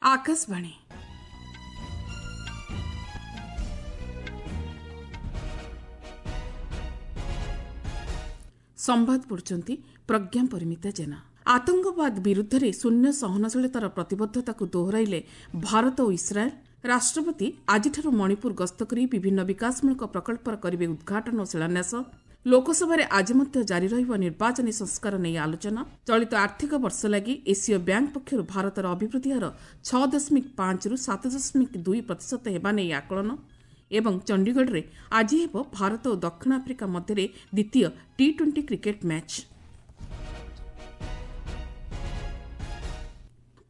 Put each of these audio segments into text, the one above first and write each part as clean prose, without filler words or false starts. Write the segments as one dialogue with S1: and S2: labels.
S1: ଆକାଶବାଣୀ। ସମ୍ବାଦ ପଢୁଛନ୍ତି ପ୍ରଜ୍ଞା ପରିମିତା ଜେନା। ଆତଙ୍କବାଦ ବିରୁଦ୍ଧରେ ଶୂନ୍ୟ ସହନଶୀଳତାର ପ୍ରତିବଦ୍ଧତାକୁ ଦୋହରାଇଲେ ଭାରତ ଓ ଇସ୍ରାଏଲ୍। ରାଷ୍ଟ୍ରପତି ଆଜିଠାରୁ ମଣିପୁର ଗସ୍ତ କରି ବିଭିନ୍ନ ବିକାଶମୂଳକ ପ୍ରକଳ୍ପର କରିବେ ଉଦ୍ଘାଟନ ଓ ଶିଳାନ୍ୟାସ। ଲୋକସଭାରେ ଆଜି ମଧ୍ୟ ଜାରି ରହିବ ନିର୍ବାଚନୀ ସଂସ୍କାର ନେଇ ଆଲୋଚନା। ଚଳିତ ଆର୍ଥିକ ବର୍ଷ ଲାଗି ଏସୀୟ ବ୍ୟାଙ୍କ ପକ୍ଷରୁ ଭାରତର ଅଭିବୃଦ୍ଧି ହାର 6.5ରୁ 7.2% ହେବା ନେଇ ଆକଳନ। ଏବଂ ଚଣ୍ଡିଗଡ଼ରେ ଆଜି ହେବ ଭାରତ ଓ ଦକ୍ଷିଣ ଆଫ୍ରିକା ମଧ୍ୟରେ ଦ୍ୱିତୀୟ ଟି-20 କ୍ରିକେଟ୍ ମ୍ୟାଚ୍।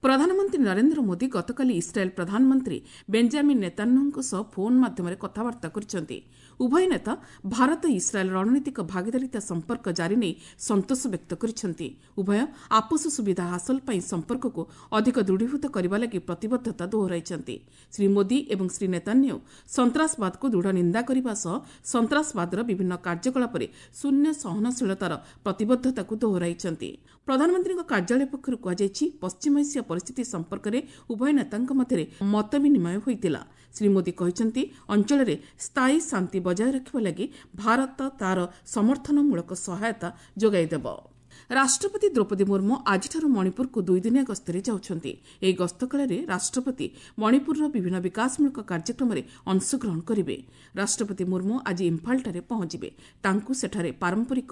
S1: ପ୍ରଧାନମନ୍ତ୍ରୀ ନରେନ୍ଦ୍ର ମୋଦି ଗତକାଲି ଇସ୍ରାଏଲ୍ ପ୍ରଧାନମନ୍ତ୍ରୀ ବେଞ୍ଜାମିନ୍ ନେତାନ୍ୟାହୁଙ୍କ ସହ ଫୋନ୍ ମାଧ୍ୟମରେ କଥାବାର୍ତ୍ତା କରିଛନ୍ତି। ଉଭୟ ନେତା ଭାରତ ଇସ୍ରାଏଲ୍ ରଣନୀତିକ ଭାଗିଦାରିତା ସମ୍ପର୍କ ଜାରି ନେଇ ସନ୍ତୋଷ ବ୍ୟକ୍ତ କରିଛନ୍ତି। ଉଭୟ ଆପୋଷ ସୁବିଧା ହାସଲ ପାଇଁ ସମ୍ପର୍କକୁ ଅଧିକ ଦୃଢ଼ୀଭୂତ କରିବା ଲାଗି ପ୍ରତିବଦ୍ଧତା ଦୋହରାଇଛନ୍ତି। ଶ୍ରୀ ମୋଦି ଏବଂ ଶ୍ରୀ ନେତାନ୍ୟାହୁ ସନ୍ତାସବାଦକୁ ଦୃଢ଼ ନିନ୍ଦା କରିବା ସହ ସନ୍ତାସବାଦର ବିଭିନ୍ନ କାର୍ଯ୍ୟକଳାପରେ ଶୂନ୍ୟ ସହନଶୀଳତାର ପ୍ରତିବଦ୍ଧତାକୁ ଦୋହରାଇଛନ୍ତି। ପ୍ରଧାନମନ୍ତ୍ରୀଙ୍କ କାର୍ଯ୍ୟାଳୟ ପକ୍ଷରୁ କୁହାଯାଇଛି, ପଶ୍ଚିମ ଏସିଆ ପରିସ୍ଥିତି ସମ୍ପର୍କରେ ଉଭୟ ନେତାଙ୍କ ମଧ୍ୟରେ ମତ ବିନିମୟ ହୋଇଥିଲା। ଶ୍ରୀ ମୋଦି କହିଛନ୍ତି, ଅଞ୍ଚଳରେ ସ୍ଥାୟୀ ଶାନ୍ତି ବଜାୟ ରଖିବା ଲାଗି ଭାରତ ତା'ର ସମର୍ଥନମୂଳକ ସହାୟତା ଯୋଗାଇ ଦେବ। ରାଷ୍ଟ୍ରପତି ଦ୍ରୌପଦୀ ମୁର୍ମୁ ଆଜିଠାରୁ ମଣିପୁରକୁ ଦୁଇଦିନିଆ ଗସ୍ତରେ ଯାଉଛନ୍ତି। ଏହି ଗସ୍ତ କାଳରେ ରାଷ୍ଟ୍ରପତି ମଣିପୁରର ବିଭିନ୍ନ ବିକାଶମୂଳକ କାର୍ଯ୍ୟକ୍ରମରେ ଅଂଶଗ୍ରହଣ କରିବେ। ରାଷ୍ଟ୍ରପତି ମୁର୍ମୁ ଆଜି ଇମ୍ଫାଲଠାରେ ପହଞ୍ଚିବେ। ତାଙ୍କୁ ସେଠାରେ ପାରମ୍ପରିକ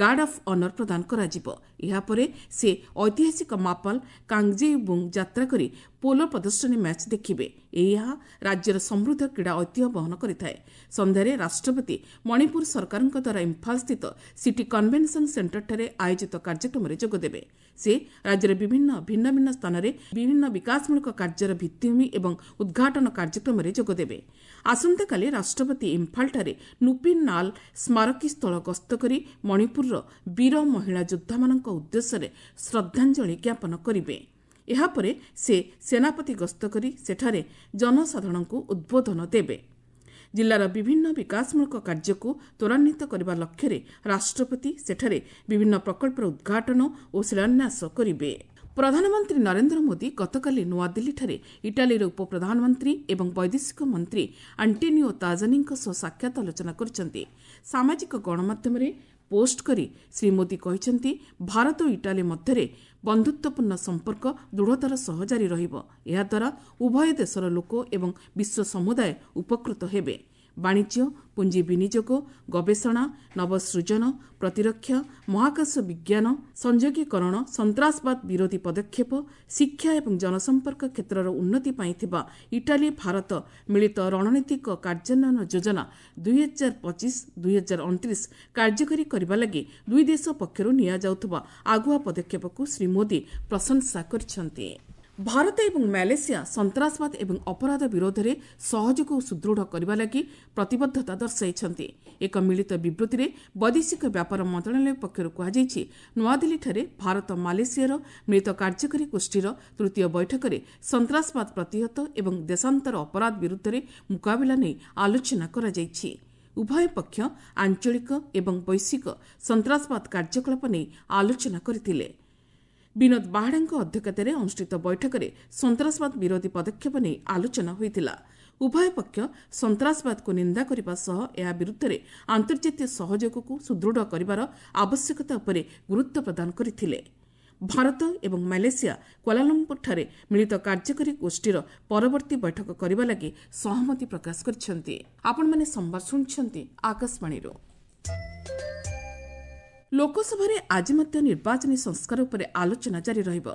S1: ଗାର୍ଡ ଅଫ୍ ଅନର ପ୍ରଦାନ କରାଯିବ। ଏହାପରେ ସେ ଐତିହାସିକ ମାପାଲ କାଙ୍ଗଜେଇବୁଙ୍ଗ ଯାତ୍ରା କରି ପୋଲୋ ପ୍ରଦର୍ଶନୀ ମ୍ୟାଚ୍ ଦେଖିବେ। ଏହା ରାଜ୍ୟର ସମୃଦ୍ଧ କ୍ରୀଡ଼ା ଐତିହ୍ୟ ବହନ କରିଥାଏ। ସନ୍ଧ୍ୟାରେ ରାଷ୍ଟ୍ରପତି ମଣିପୁର ସରକାରଙ୍କ ଦ୍ୱାରା ଇମ୍ଫାଲସ୍ଥିତ ସିଟି କନଭେନସନ୍ ସେଣ୍ଟରଠାରେ ଆୟୋଜିତ କାର୍ଯ୍ୟକ୍ରମରେ ଯୋଗଦେବେ। ସେ ରାଜ୍ୟର ବିଭିନ୍ନ ଭିନ୍ନ ଭିନ୍ନ ସ୍ଥାନରେ ବିଭିନ୍ନ ବିକାଶମୂଳକ କାର୍ଯ୍ୟର ଭିତ୍ତିଭୂମି ଏବଂ ଉଦ୍ଘାଟନ କାର୍ଯ୍ୟକ୍ରମରେ ଯୋଗଦେବେ। ଆସନ୍ତାକାଲି ରାଷ୍ଟ୍ରପତି ଇମ୍ଫାଲଠାରେ ନୁପିନ୍ ନାଲ ସ୍ମାରକୀ ସ୍ଥଳ ଗସ୍ତ କରି ମଣିପୁରର ବୀର ମହିଳା ଯୋଦ୍ଧାମାନଙ୍କ ଉଦ୍ଦେଶ୍ୟରେ ଶ୍ରଦ୍ଧାଞ୍ଜଳି ଜ୍ଞାପନ କରିବେ। ଏହାପରେ ସେ ସେନାପତି ଗସ୍ତ କରି ସେଠାରେ ଜନସାଧାରଣଙ୍କୁ ଉଦ୍ବୋଧନ ଦେବେ। ଜିଲ୍ଲାର ବିଭିନ୍ନ ବିକାଶମୂଳକ କାର୍ଯ୍ୟକୁ ତ୍ୱରାନ୍ୱିତ କରିବା ଲକ୍ଷ୍ୟରେ ରାଷ୍ଟ୍ରପତି ସେଠାରେ ବିଭିନ୍ନ ପ୍ରକଳ୍ପର ଉଦ୍ଘାଟନ ଓ ଶିଳାନ୍ୟାସ କରିବେ। ପ୍ରଧାନମନ୍ତ୍ରୀ ନରେନ୍ଦ୍ର ମୋଦି ଗତକାଲି ନୂଆଦିଲ୍ଲୀଠାରେ ଇଟାଲୀର ଉପପ୍ରଧାନମନ୍ତ୍ରୀ ଏବଂ ବୈଦେଶିକ ମନ୍ତ୍ରୀ ଆଣ୍ଟୋନିଓ ତାଜାନିଙ୍କ ସହ ସାକ୍ଷାତ ଆଲୋଚନା କରିଛନ୍ତି। ସାମାଜିକ ଗଣମାଧ୍ୟମରେ ପୋଷ୍ଟ କରି ଶ୍ରୀ ମୋଦି କହିଛନ୍ତି, ଭାରତ ଓ ଇଟାଲୀ ମଧ୍ୟରେ ବନ୍ଧୁତ୍ୱପୂର୍ଣ୍ଣ ସମ୍ପର୍କ ଦୃଢ଼ତାର ସହ ଜାରି ରହିବ। ଏହାଦ୍ୱାରା ଉଭୟ ଦେଶର ଲୋକ ଏବଂ ବିଶ୍ୱ ସମୁଦାୟ ଉପକୃତ ହେବେ। ବାଣିଜ୍ୟ, ପୁଞ୍ଜି ବିନିଯୋଗ, ଗବେଷଣା, ନବସୃଜନ, ପ୍ରତିରକ୍ଷା, ମହାକାଶ ବିଜ୍ଞାନ, ସଂଯୋଗୀକରଣ, ସନ୍ତାସବାଦ ବିରୋଧୀ ପଦକ୍ଷେପ, ଶିକ୍ଷା ଏବଂ ଜନସମ୍ପର୍କ କ୍ଷେତ୍ରର ଉନ୍ନତି ପାଇଁ ଥିବା ଇଟାଲୀ ଭାରତ ମିଳିତ ରଣନୀତିକ କାର୍ଯ୍ୟାନ୍ୱୟନ ଯୋଜନା 2025-2029 କାର୍ଯ୍ୟକାରୀ କରିବା ଲାଗି ଦୁଇ ଦେଶ ପକ୍ଷରୁ ନିଆଯାଉଥିବା ଆଗୁଆ ପଦକ୍ଷେପକୁ ଶ୍ରୀ ମୋଦି ପ୍ରଶଂସା କରିଛନ୍ତି। ଭାରତ ଏବଂ ମାଲେସିଆ ସନ୍ତାସବାଦ ଏବଂ ଅପରାଧ ବିରୋଧରେ ସହଯୋଗକୁ ସୁଦୃଢ଼ କରିବା ଲାଗି ପ୍ରତିବଦ୍ଧତା ଦର୍ଶାଇଛନ୍ତି। ଏକ ମିଳିତ ବିବୃତ୍ତିରେ ବୈଦେଶିକ ବ୍ୟାପାର ମନ୍ତ୍ରଣାଳୟ ପକ୍ଷରୁ କୁହାଯାଇଛି, ନୂଆଦିଲ୍ଲୀଠାରେ ଭାରତ ମାଲେସିଆର ମିଳିତ କାର୍ଯ୍ୟକାରୀ ଗୋଷ୍ଠୀର ତୃତୀୟ ବୈଠକରେ ସନ୍ତାସବାଦ ପ୍ରତିହତ ଏବଂ ଦେଶାନ୍ତର ଅପରାଧ ବିରୁଦ୍ଧରେ ମୁକାବିଲା ନେଇ ଆଲୋଚନା କରାଯାଇଛି। ଉଭୟ ପକ୍ଷ ଆଞ୍ଚଳିକ ଏବଂ ବୈଶ୍ୱିକ ସନ୍ତାସବାଦ କାର୍ଯ୍ୟକଳାପ ନେଇ ଆଲୋଚନା କରିଥିଲେ। ବିନୋଦ ବାହାଡ଼ାଙ୍କ ଅଧ୍ୟକ୍ଷତାରେ ଅନୁଷ୍ଠିତ ବୈଠକରେ ସନ୍ତାସବାଦ ବିରୋଧୀ ପଦକ୍ଷେପ ନେଇ ଆଲୋଚନା ହୋଇଥିଲା। ଉଭୟ ପକ୍ଷ ସନ୍ତାସବାଦକୁ ନିନ୍ଦା କରିବା ସହ ଏହା ବିରୁଦ୍ଧରେ ଆନ୍ତର୍ଜାତୀୟ ସହଯୋଗକୁ ସୁଦୃଢ଼ କରିବାର ଆବଶ୍ୟକତା ଉପରେ ଗୁରୁତ୍ୱ ପ୍ରଦାନ କରିଥିଲେ। ଭାରତ ଏବଂ ମାଲେସିଆ କ୍ୱାଲାଲମ୍ପୁରଠାରେ ମିଳିତ କାର୍ଯ୍ୟକାରୀ ଗୋଷ୍ଠୀର ପରବର୍ତ୍ତୀ ବୈଠକ କରିବା ଲାଗି ସହମତି ପ୍ରକାଶ କରିଛନ୍ତି। ଆପଣମାନେ ସମ୍ବାଦ ଶୁଣୁଛନ୍ତି ଆକାଶବାଣୀରୁ। ଲୋକସଭାରେ ଆଜି ମଧ୍ୟ ନିର୍ବାଚନୀ ସଂସ୍କାର ଉପରେ ଆଲୋଚନା ଜାରି ରହିବ।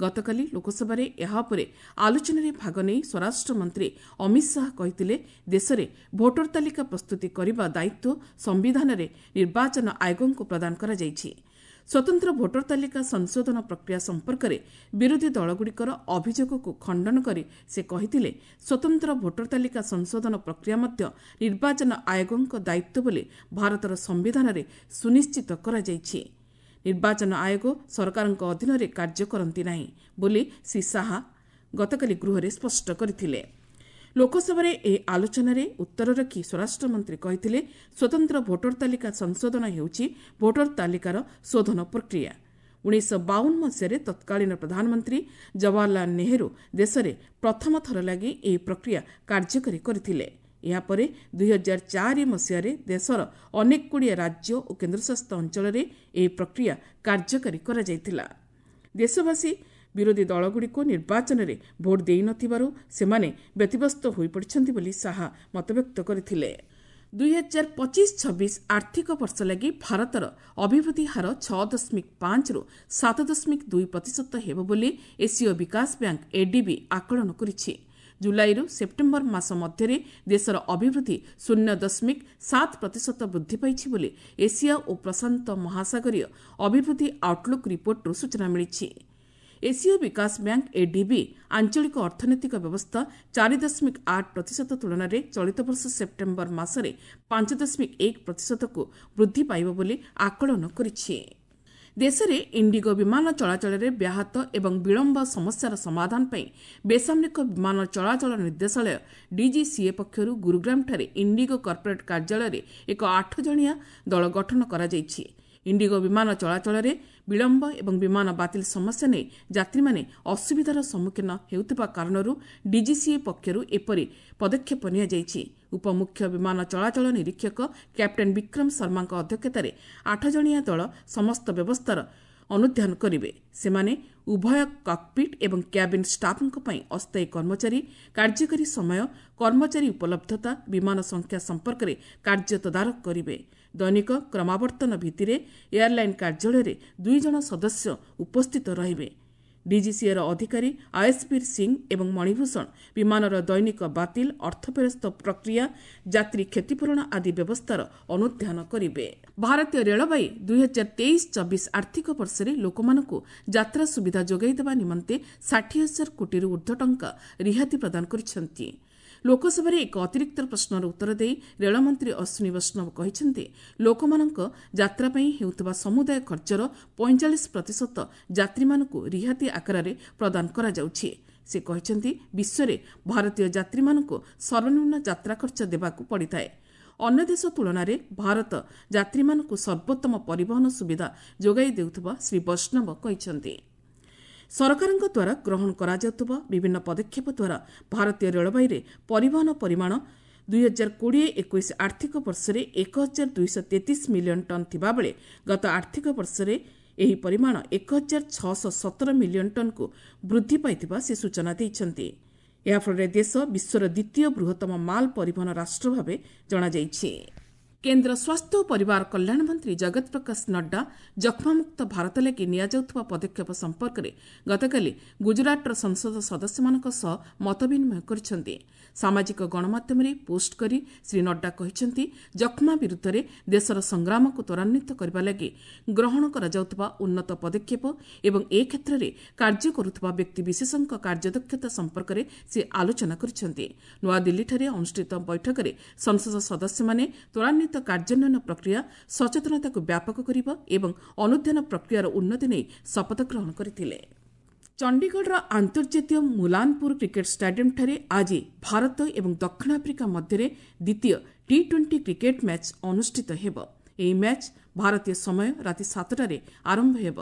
S1: ଗତକାଲି ଲୋକସଭାରେ ଏହା ଉପରେ ଆଲୋଚନାରେ ଭାଗ ନେଇ ସ୍ୱରାଷ୍ଟ୍ର ମନ୍ତ୍ରୀ ଅମିତ ଶାହା କହିଥିଲେ, ଦେଶରେ ଭୋଟର ତାଲିକା ପ୍ରସ୍ତୁତି କରିବା ଦାୟିତ୍ୱ ସମ୍ବିଧାନରେ ନିର୍ବାଚନ ଆୟୋଗଙ୍କୁ ପ୍ରଦାନ କରାଯାଇଛି। ସ୍ୱତନ୍ତ୍ର ଭୋଟର ତାଲିକା ସଂଶୋଧନ ପ୍ରକ୍ରିୟା ସମ୍ପର୍କରେ ବିରୋଧୀ ଦଳଗୁଡ଼ିକର ଅଭିଯୋଗକୁ ଖଣ୍ଡନ କରି ସେ କହିଥିଲେ, ସ୍ୱତନ୍ତ୍ର ଭୋଟର ତାଲିକା ସଂଶୋଧନ ପ୍ରକ୍ରିୟା ମଧ୍ୟ ନିର୍ବାଚନ ଆୟୋଗଙ୍କ ଦାୟିତ୍ୱ ବୋଲି ଭାରତର ସମ୍ବିଧାନରେ ସୁନିଶ୍ଚିତ କରାଯାଇଛି। ନିର୍ବାଚନ ଆୟୋଗ ସରକାରଙ୍କ ଅଧୀନରେ କାର୍ଯ୍ୟ କରନ୍ତି ନାହିଁ ବୋଲି ଶ୍ରୀ ଶାହା ଗତକାଲି ଗୃହରେ ସ୍ପଷ୍ଟ କରିଥିଲେ। ଲୋକସଭାରେ ଏହି ଆଲୋଚନାରେ ଉତ୍ତର ରଖି ସ୍ୱରାଷ୍ଟ୍ରମନ୍ତ୍ରୀ କହିଥିଲେ, ସ୍ୱତନ୍ତ୍ର ଭୋଟର ତାଲିକା ସଂଶୋଧନ ହେଉଛି ଭୋଟର ତାଲିକାର ଶୋଧନ ପ୍ରକ୍ରିୟା। 1952 ମସିହାରେ ତତ୍କାଳୀନ ପ୍ରଧାନମନ୍ତ୍ରୀ ଜବାହରଲାଲ ନେହେରୁ ଦେଶରେ ପ୍ରଥମ ଥର ଲାଗି ଏହି ପ୍ରକ୍ରିୟା କାର୍ଯ୍ୟକାରୀ କରିଥିଲେ। ଏହାପରେ 2004 ମସିହାରେ ଦେଶର ଅନେକଗୁଡ଼ିଏ ରାଜ୍ୟ ଓ କେନ୍ଦ୍ରଶାସିତ ଅଞ୍ଚଳରେ ଏହି ପ୍ରକ୍ରିୟା କାର୍ଯ୍ୟକାରୀ କରାଯାଇଥିଲା। ଦେଶବାସୀ ବିରୋଧୀ ଦଳଗୁଡ଼ିକୁ ନିର୍ବାଚନରେ ଭୋଟ୍ ଦେଇନଥିବାରୁ ସେମାନେ ବ୍ୟତିବ୍ୟସ୍ତ ହୋଇପଡ଼ିଛନ୍ତି ବୋଲି ଶାହା ମତବ୍ୟକ୍ତ କରିଥିଲେ। 2025-26 ଆର୍ଥିକ ବର୍ଷ ଲାଗି ଭାରତର ଅଭିବୃଦ୍ଧି ହାର 6.5ରୁ 7.2% ହେବ ବୋଲି ଏସୀୟ ବିକାଶ ବ୍ୟାଙ୍କ ଏଡିବି ଆକଳନ କରିଛି। ଜୁଲାଇରୁ ସେପ୍ଟେମ୍ବର ମାସ ମଧ୍ୟରେ ଦେଶର ଅଭିବୃଦ୍ଧି 0.7% ବୃଦ୍ଧି ପାଇଛି ବୋଲି ଏସିଆ ଓ ପ୍ରଶାନ୍ତ ମହାସାଗରୀୟ ଅଭିବୃଦ୍ଧି ଆଉଟଲୁକ୍ ରିପୋର୍ଟରୁ ସୂଚନା ମିଳିଛି। ଏସୀୟ ବିକାଶ ବ୍ୟାଙ୍କ ଏଡିବି ଆଞ୍ଚଳିକ ଅର୍ଥନୈତିକ ବ୍ୟବସ୍ଥା 4.8% ତୁଳନାରେ ଚଳିତ ବର୍ଷ ସେପ୍ଟେମ୍ବର ମାସରେ 5.1%କୁ ବୃଦ୍ଧି ପାଇବ ବୋଲି ଆକଳନ କରିଛି। ଦେଶରେ ଇଣ୍ଡିଗୋ ବିମାନ ଚଳାଚଳରେ ବ୍ୟାହତ ଏବଂ ବିଳମ୍ବ ସମସ୍ୟାର ସମାଧାନ ପାଇଁ ବେସାମରିକ ବିମାନ ଚଳାଚଳ ନିର୍ଦ୍ଦେଶାଳୟ ଡିଜିସିଏ ପକ୍ଷରୁ ଗୁରୁଗ୍ରାମଠାରେ ଇଣ୍ଡିଗୋ କର୍ପୋରେଟ୍ କାର୍ଯ୍ୟାଳୟରେ ଏକ 8 ଜଣିଆ ଦଳ ଗଠନ କରାଯାଇଛି। ଇଣ୍ଡିଗୋ ବିମାନ ଚଳାଚଳରେ ବିଳମ୍ବ ଏବଂ ବିମାନ ବାତିଲ ସମସ୍ୟା ନେଇ ଯାତ୍ରୀମାନେ ଅସୁବିଧାର ସମ୍ମୁଖୀନ ହେଉଥିବା କାରଣରୁ ଡିଜିସିଏ ପକ୍ଷରୁ ଏପରି ପଦକ୍ଷେପ ନିଆଯାଇଛି। ଉପମୁଖ୍ୟ ବିମାନ ଚଳାଚଳ ନିରୀକ୍ଷକ କ୍ୟାପ୍ଟେନ୍ ବିକ୍ରମ ଶର୍ମାଙ୍କ ଅଧ୍ୟକ୍ଷତାରେ 8 ଜଣିଆ ଦଳ ସମସ୍ତ ବ୍ୟବସ୍ଥାର ଅନୁଧ୍ୟାନ କରିବେ। ସେମାନେ ଉଭୟ କକପିଟ୍ ଏବଂ କ୍ୟାବିନ୍ ଷ୍ଟାଫ୍ଙ୍କ ପାଇଁ ଅସ୍ଥାୟୀ କର୍ମଚାରୀ, କାର୍ଯ୍ୟକାରୀ ସମୟ, କର୍ମଚାରୀ ଉପଲବ୍ଧତା, ବିମାନ ସଂଖ୍ୟା ସମ୍ପର୍କରେ କାର୍ଯ୍ୟ ତଦାରଖ କରିବେ। ଦୈନିକ କ୍ରମାବର୍ତ୍ତନ ଭିତ୍ତିରେ ଏୟାରଲାଇନ୍ କାର୍ଯ୍ୟାଳୟରେ 2 ଜଣ ସଦସ୍ୟ ଉପସ୍ଥିତ ରହିବେ। ଡିଜିସିଏର ଅଧିକାରୀ ଆୟସବୀର ସିଂ ଏବଂ ମଣିଭୂଷଣ ବିମାନର ଦୈନିକ ବାତିଲ, ଅର୍ଥ ଫେରସ୍ତ ପ୍ରକ୍ରିୟା, ଯାତ୍ରୀ କ୍ଷତିପୂରଣ ଆଦି ବ୍ୟବସ୍ଥାର ଅନୁଧ୍ୟାନ କରିବେ। ଭାରତୀୟ ରେଳବାଇ 2023-24 ଆର୍ଥିକ ବର୍ଷରେ ଲୋକମାନଙ୍କୁ ଯାତ୍ରା ସୁବିଧା ଯୋଗାଇ ଦେବା ନିମନ୍ତେ 60,000 କୋଟିରୁ ଉର୍ଦ୍ଧ୍ୱ ଟଙ୍କା ରିହାତି ପ୍ରଦାନ କରିଛନ୍ତି। ଲୋକସଭାରେ ଏକ ଅତିରିକ୍ତ ପ୍ରଶ୍ନର ଉତ୍ତର ଦେଇ ରେଳମନ୍ତ୍ରୀ ଅଶ୍ୱିନୀ ବୈଷ୍ଣବ କହିଛନ୍ତି, ଲୋକମାନଙ୍କ ଯାତ୍ରା ପାଇଁ ହେଉଥିବା ସମୁଦାୟ ଖର୍ଚ୍ଚର 45% ଯାତ୍ରୀମାନଙ୍କୁ ରିହାତି ଆକାରରେ ପ୍ରଦାନ କରାଯାଉଛି। ସେ କହିଛନ୍ତି, ବିଶ୍ୱରେ ଭାରତୀୟ ଯାତ୍ରୀମାନଙ୍କୁ ସର୍ବନିମ୍ନ ଯାତ୍ରା ଖର୍ଚ୍ଚ ଦେବାକୁ ପଡ଼ିଥାଏ। ଅନ୍ୟ ଦେଶ ତୁଳନାରେ ଭାରତ ଯାତ୍ରୀମାନଙ୍କୁ ସର୍ବୋତ୍ତମ ପରିବହନ ସୁବିଧା ଯୋଗାଇ ଦେଉଥିବା ଶ୍ରୀ ବୈଷ୍ଣବ କହିଛନ୍ତି। ସରକାରଙ୍କ ଦ୍ୱାରା ଗ୍ରହଣ କରାଯାଉଥିବା ବିଭିନ୍ନ ପଦକ୍ଷେପ ଦ୍ୱାରା ଭାରତୀୟ ରେଳବାଇରେ ପରିବହନ ପରିମାଣ 2020-21 ଆର୍ଥିକ ବର୍ଷରେ 1233 ମିଲିୟନ ଟନ୍ ଥିବାବେଳେ ଗତ ଆର୍ଥିକ ବର୍ଷରେ ଏହି ପରିମାଣ 1617 ମିଲିୟନ ଟନ୍କୁ ବୃଦ୍ଧି ପାଇଥିବା ସେ ସୂଚନା ଦେଇଛନ୍ତି। ଏହାଫଳରେ ଦେଶ ବିଶ୍ୱର ଦ୍ୱିତୀୟ ବୃହତ୍ତମ ମାଲ ପରିବହନ ରାଷ୍ଟ୍ର ଭାବେ ଜଣାଯାଇଛି। କେନ୍ଦ୍ର ସ୍ୱାସ୍ଥ୍ୟ ଓ ପରିବାର କଲ୍ୟାଣ ମନ୍ତ୍ରୀ ଜଗତ ପ୍ରକାଶ ନଡ୍ଡା ଯକ୍ଷ୍ମାମୁକ୍ତ ଭାରତ ଲାଗି ନିଆଯାଉଥିବା ପଦକ୍ଷେପ ସମ୍ପର୍କରେ ଗତକାଲି ଗୁଜରାଟର ସଂସଦ ସଦସ୍ୟମାନଙ୍କ ସହ ମତବିନିମୟ କରିଛନ୍ତି। ସାମାଜିକ ଗଣମାଧ୍ୟମରେ ପୋଷ୍ଟ କରି ଶ୍ରୀ ନଡ୍ଡା କହିଛନ୍ତି, ଯକ୍ଷ୍ମା ବିରୁଦ୍ଧରେ ଦେଶର ସଂଗ୍ରାମକୁ ତ୍ୱରାନ୍ୱିତ କରିବା ଲାଗି ଗ୍ରହଣ କରାଯାଉଥିବା ଉନ୍ନତ ପଦକ୍ଷେପ ଏବଂ ଏ କ୍ଷେତ୍ରରେ କାର୍ଯ୍ୟ କରୁଥିବା ବ୍ୟକ୍ତିବିଶେଷଙ୍କ କାର୍ଯ୍ୟଦକ୍ଷତା ସମ୍ପର୍କରେ ସେ ଆଲୋଚନା କରିଛନ୍ତି। ନୂଆଦିଲ୍ଲୀଠାରେ ଅନୁଷ୍ଠିତ ବୈଠକରେ ସଂସଦ ସଦସ୍ୟମାନେ ତ୍ୱରାନ୍ୱିତ କାର୍ଯ୍ୟାନ୍ୱୟନ ପ୍ରକ୍ରିୟା, ସଚେତନତାକୁ ବ୍ୟାପକ କରିବା ଏବଂ ଅନୁଧ୍ୟାନ ପ୍ରକ୍ରିୟାର ଉନ୍ନତି ନେଇ ଶପଥ ଗ୍ରହଣ କରିଥିଲେ। ଚଣ୍ଡିଗଡ଼ର ଆନ୍ତର୍ଜାତୀୟ ମୁଲାନପୁର କ୍ରିକେଟ୍ ଷ୍ଟାଡିୟମ୍ଠାରେ ଆଜି ଭାରତ ଏବଂ ଦକ୍ଷିଣ ଆଫ୍ରିକା ମଧ୍ୟରେ ଦ୍ୱିତୀୟ ଟି-20 କ୍ରିକେଟ୍ ମ୍ୟାଚ୍ ଅନୁଷ୍ଠିତ ହେବ। ଏହି ମ୍ୟାଚ୍ ଭାରତୀୟ ସମୟ ରାତି 7ଟାରେ ଆରମ୍ଭ ହେବ।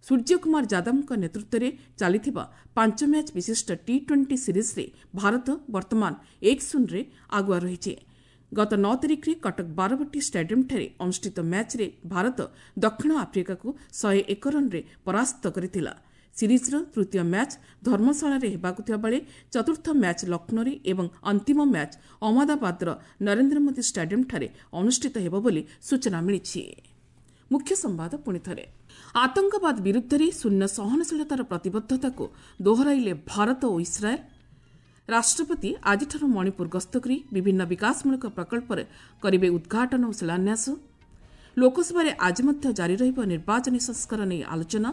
S1: ସୂର୍ଯ୍ୟକୁମାର ଯାଦବଙ୍କ ନେତୃତ୍ୱରେ ଚାଲିଥିବା 5 ମ୍ୟାଚ୍ ବିଶିଷ୍ଟ ଟି-20 ସିରିଜ୍ରେ ଭାରତ ବର୍ତ୍ତମାନ 1-0ରେ ଆଗୁଆ ରହିଛି। ଗତ 9 ତାରିଖରେ କଟକ ବାରବାଟୀ ଷ୍ଟାଡିୟମ୍ଠାରେ ଅନୁଷ୍ଠିତ ମ୍ୟାଚ୍ରେ ଭାରତ ଦକ୍ଷିଣ ଆଫ୍ରିକାକୁ 101 ରନ୍ରେ ପରାସ୍ତ କରିଥିଲା। ସିରିଜ୍ର ତୃତୀୟ ମ୍ୟାଚ୍ ଧର୍ମଶାଳାରେ ହେବାକୁ ଥିବାବେଳେ ଚତୁର୍ଥ ମ୍ୟାଚ୍ ଲକ୍ଷ୍ନୌରେ ଏବଂ ଅନ୍ତିମ ମ୍ୟାଚ୍ ଅହମ୍ମଦାବାଦର ନରେନ୍ଦ୍ର ମୋଦି ଷ୍ଟାଡିୟମ୍ଠାରେ ଅନୁଷ୍ଠିତ ହେବ ବୋଲି ସୂଚନା ମିଳିଛି। ମୁଖ୍ୟ ସମ୍ବାଦ ପୁଣିଥରେ। ଆତଙ୍କବାଦ ବିରୁଦ୍ଧରେ ଶୂନ୍ୟ ସହନଶୀଳତାର ପ୍ରତିବଦ୍ଧତାକୁ ଦୋହରାଇଲେ ଭାରତ ଓ ଇସ୍ରାଏଲ୍। ରାଷ୍ଟ୍ରପତି ଆଜିଠାରୁ ମଣିପୁର ଗସ୍ତ କରି ବିଭିନ୍ନ ବିକାଶମୂଳକ ପ୍ରକଳ୍ପରେ କରିବେ ଉଦ୍ଘାଟନ ଓ ଶିଳାନ୍ୟାସ। ଲୋକସଭାରେ ଆଜି ମଧ୍ୟ ଜାରି ରହିବ ନିର୍ବାଚନୀ ସଂସ୍କାର ନେଇ ଆଲୋଚନା।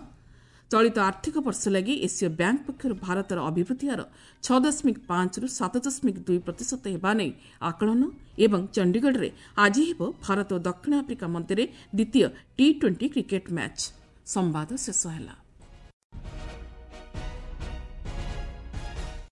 S1: ଚଳିତ ଆର୍ଥିକ ବର୍ଷ ଲାଗି ଏସୀୟ ବ୍ୟାଙ୍କ ପକ୍ଷରୁ ଭାରତର ଅଭିବୃଦ୍ଧି ହାର 6.5ରୁ 7.2% ହେବା ନେଇ ଆକଳନ। ଏବଂ ଚଣ୍ଡିଗଡ଼ରେ ଆଜି ହେବ ଭାରତ ଓ ଦକ୍ଷିଣ ଆଫ୍ରିକା ମଧ୍ୟରେ ଦ୍ୱିତୀୟ ଟି-20 କ୍ରିକେଟ୍ ମ୍ୟାଚ୍। ସମ୍ବାଦ ଶେଷ ହେଲା।